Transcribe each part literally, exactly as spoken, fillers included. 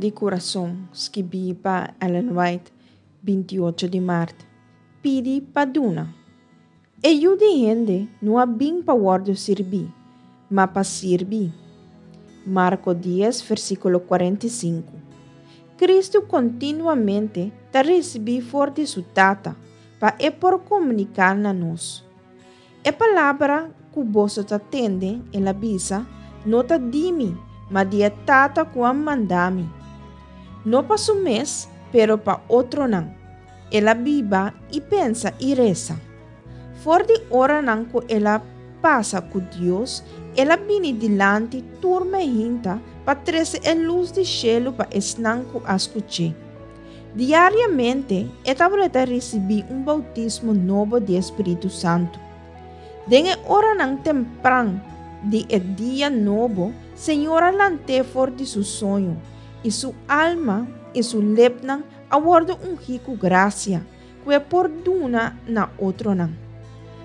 di Kurason, skibí pa Ellen White, binti ocho di mart. Pidi pa duna. E Yu di hende no a bin pa wòrdu sirbí, ma pa sirbi. Marko dies, versíkulo kuarenta i sinku. Kristu kontinuamente ta risibí for di su Tata pa e por komuniká na nos. E palabra ku boso ta tende, el a bisa, no ta di mi, ma di e Tata ku a manda mi. No pa su mes, pero pa otronan. El a biba i pensa i resa. For di oranan ku el a pasa ku Dios, el a bini dilanti tur mainta pa trese e lus di shelu pa esnan ku a skuch'é. Diariamente e tabata risibí un boutismo nobo di e Spiritu Santu. Den e oranan tempran di e dia nobo, Señor a lant'é for di su soño, i su alma i su lepnan a wòrdu ungí ku grasia, ku e por duna na otronan.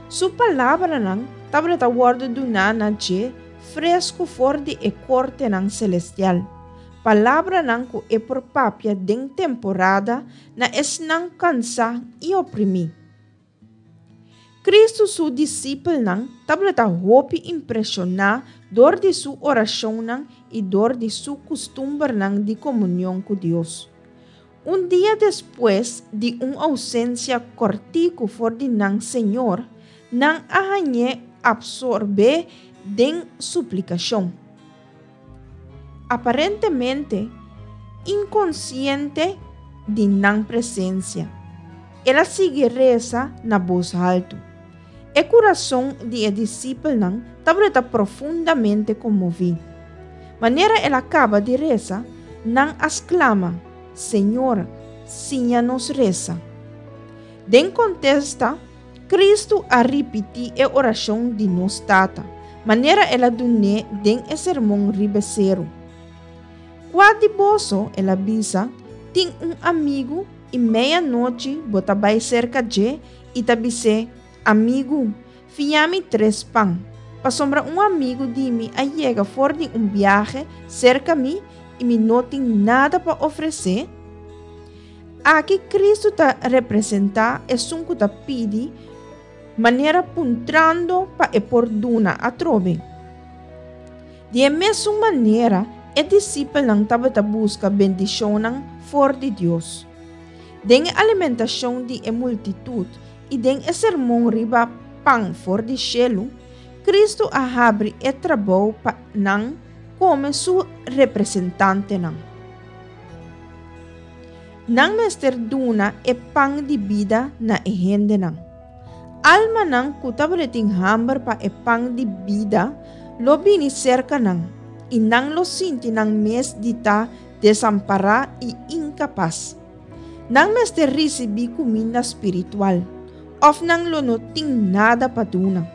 Su palabranan tabata wòrdu duná na dje fresku for di e kortenan selestial, palabranan ku e por papia den temporada na esnan kansá i oprimí. Kristu su disipelnan tabata hopi impreshoná dor di su orashonnan i dor di su kustumbernan di komunion ku Dios. Un dia despues di un ousensia kòrtiku for di nan Señor, nan a hañ'é apsorbé den suplikashon. Aparentemente inkonsiente di nan presensia, el a sigui resa na bos haltu. E kurason di e disipelnan tabata profundamente konmoví. Manera el a kaba di resa, nan a sklama, Señor, siña nos resa. Den kontesta, Kristu a ripití e orashon di Nos Tata, manera el a dun'é den e Sermon Riba Seru. Kua di boso, el a bisa, tin un amigu i meianochi bo ta bai serka dje i ta bis'é, Amigu, fia mi tres pan, pasobra un amigu di mi a yega for di un biahe serka mi i mi no tin nada pa ofresé? Aki Kristu ta representá esun ku ta pidi, manera puntrando pa e por duna atrobe. Di e mesun manera, e disipelnan tabata buska bendishonnan for di Dios. Den e alimentashon di e multitut i den e sermon riba pan for di shelu, Kristu a habri e trabou pa nan komo su representantenan. Nan mester duna e pan di bida na e hendenan. Almanan ku tabatin hamber pa e pan di bida lo bini serka nan, i nan lo sinti nan mes di ta desampará i inkapas. Nan mester risibí kuminda spiritual, òf nan lo no tin nada pa duna.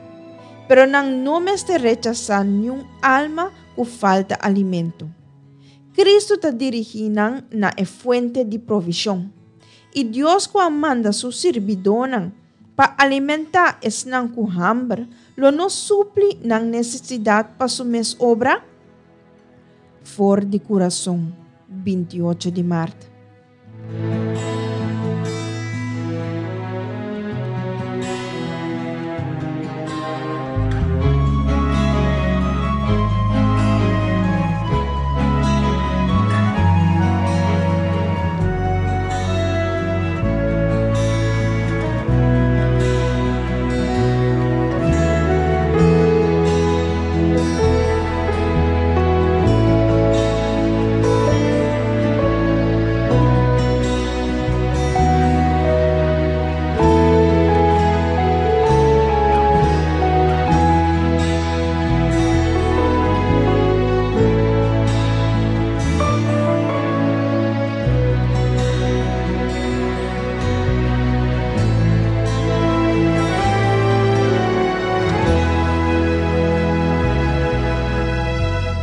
Pero nan no mester rechasá niun alma ku falta alimento. Kristu ta dirigí nan na e fuente di provishon. I Dios ku a manda su sirbidónan pa alimentá esnan ku hamber, lo no supli nan nesesidat pa su mes obra? For di Kurason, binti ocho di mart.